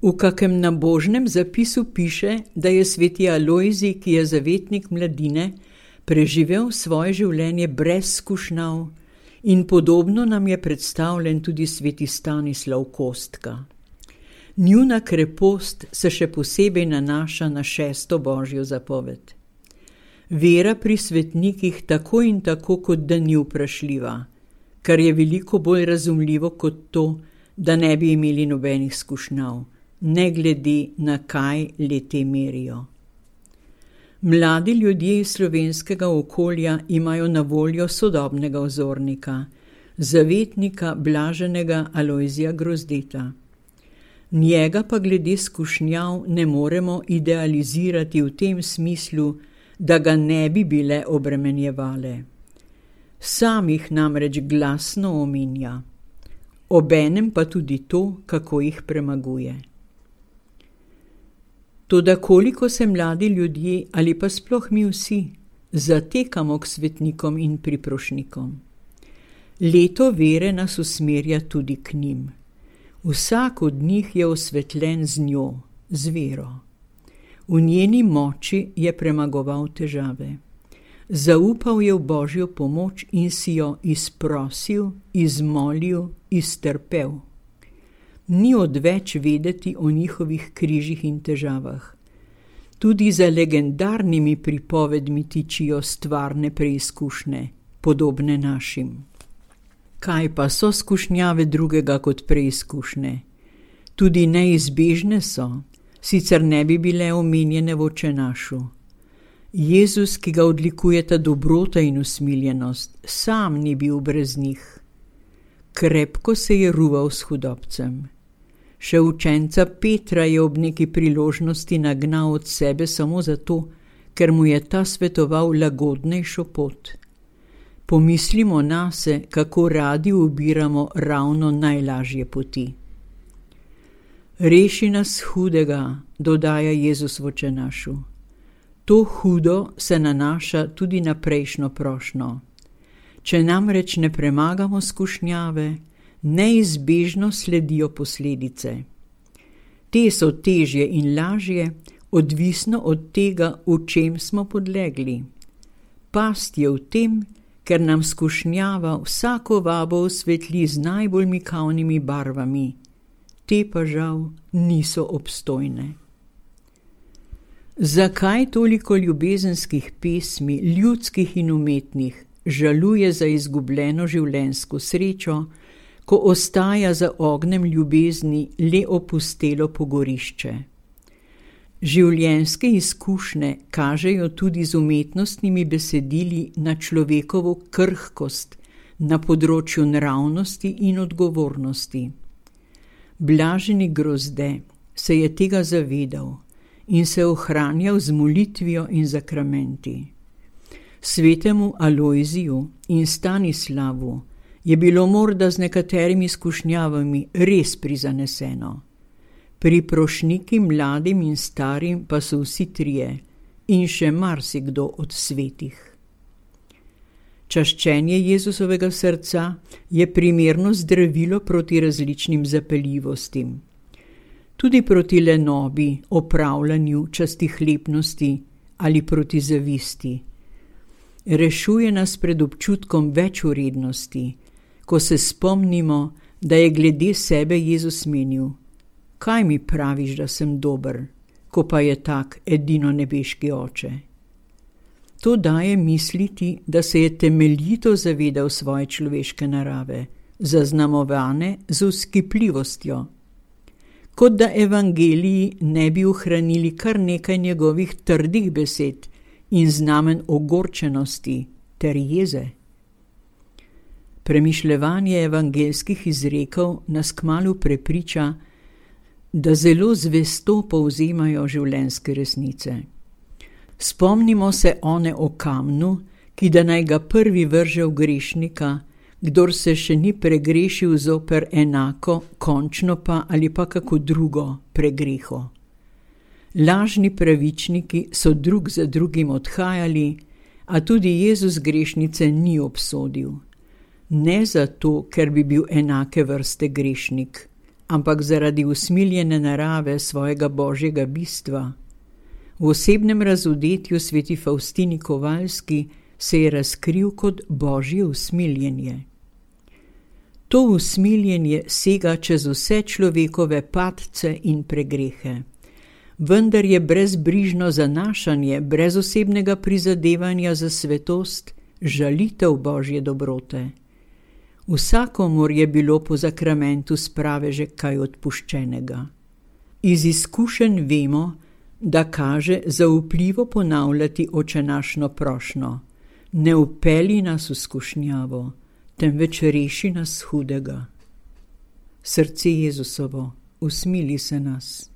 V kakem nabožnem zapisu piše, da je sveti Alojzij, ki je zavetnik mladine, preživel svoje življenje brez skušnjav in podobno nam je predstavljen tudi sveti Stanislav Kostka. Njuna krepost se še posebej nanaša na 6. božjo zapoved. Vera pri svetnikih tako in tako kot da ni vprašljiva, kar je veliko bolj razumljivo kot to, da ne bi imeli nobenih skušnjav, ne glede na kaj le-te merijo. Mladi ljudje iz slovenskega okolja imajo na voljo sodobnega vzornika, zavetnika blaženega Alojzija Grozdeta. Njega pa glede skušnjav ne moremo idealizirati v tem smislu, da ga ne bi bile obremenjevale. Sam jih namreč glasno omenja, obenem pa tudi to, kako jih premaguje. Toda koliko se mladi ljudje, ali pa sploh mi vsi, zatekamo k svetnikom in priprošnikom. Leto vere nas usmerja tudi k njim. Vsak od njih je osvetljen z njo, z vero. V njeni moči je premagoval težave. Zaupal je v Božjo pomoč in si jo izprosil, izmolil, iztrpel. Ni odveč vedeti o njihovih križih in težavah. Tudi za legendarnimi pripovedmi tičijo stvarne preizkušnje, podobne našim. Kaj pa so skušnjave drugega kot preizkušnje? Tudi neizbežne so, sicer ne bi bile omenjene v Očenašu. Jezus, ki ga odlikujeta dobrota in usmiljenost, sam ni bil brez njih. Krepko se je ruval s hudobcem. Še učenca Petra je ob neki priložnosti nagnal od sebe samo zato, ker mu je ta svetoval lagodnejšo pot. Pomislimo nase, kako radi ubiramo ravno najlažje poti. Reši nas hudega, dodaja Jezus v Očenašu. To hudo se nanaša tudi na prejšnjo prošnjo. Če namreč ne premagamo skušnjave, neizbežno sledijo posledice. Te so težje in lažje, odvisno od tega, v čem smo podlegli. Past je v tem, ker nam skušnjava vsako vabo osvetli z najbolj mikavnimi barvami. Te pa žal niso obstojne. Zakaj toliko ljubezenskih pesmi, ljudskih in umetnih, žaluje za izgubljeno življenjsko srečo, ko ostaja za ognjem ljubezni le opustelo pogorišče? Življenjske izkušnje kažejo tudi z umetnostnimi besedili na človekovo krhkost na področju nravnosti in odgovornosti. Blaženi Grozde se je tega zavedal in se ohranjal z molitvijo in zakramenti. Svetemu Alojziju in Stanislavu je bilo morda z nekaterimi skušnjavami res prizaneseno. Priprošniki mladim in starim pa so vsi trije in še marsikdo od svetih. Čaščenje Jezusovega srca je primerno zdravilo proti različnim zapeljivostim. Tudi proti lenobi, opravljanju, častihlepnosti ali proti zavisti. Rešuje nas pred občutkom večvrednosti, ko se spomnimo, da je glede sebe Jezus menil: kaj mi praviš, da sem dober, ko pa je tak edino nebeški Oče? To daje misliti, da se je temeljito zavedal svoje človeške narave, zaznamovane z vzkipljivostjo. Kot da evangeliji ne bi ohranili kar nekaj njegovih trdih besed in znamen ogorčenosti ter jeze. Premišljevanje evangelskih izrekov nas kmalu prepriča, da zelo zvesto povzemajo življenjske resnice. Spomnimo se one o kamnu, ki da naj ga prvi vrže v grešnika, kdor se še ni pregrešil zoper enako, končno pa ali pa kako drugo pregreho. Lažni pravičniki so drug za drugim odhajali, a tudi Jezus grešnice ni obsodil. Ne zato, ker bi bil enake vrste grešnik, ampak zaradi usmiljene narave svojega božjega bistva. V osebnem razodetju sveti Faustini Kovalski se je razkril kot božje usmiljenje. To usmiljenje sega čez vse človekove padce in pregrehe. Vendar je brezbrižno zanašanje, brez osebnega prizadevanja za svetost, žalitev božje dobrote. Vsakomur je bilo po zakramentu sprave že kaj odpuščenega. Iz izkušenj vemo, da kaže zaupljivo ponavljati očenašno prošnjo: ne vpelji nas v skušnjavo, temveč reši nas hudega. Srce Jezusovo, usmili se nas.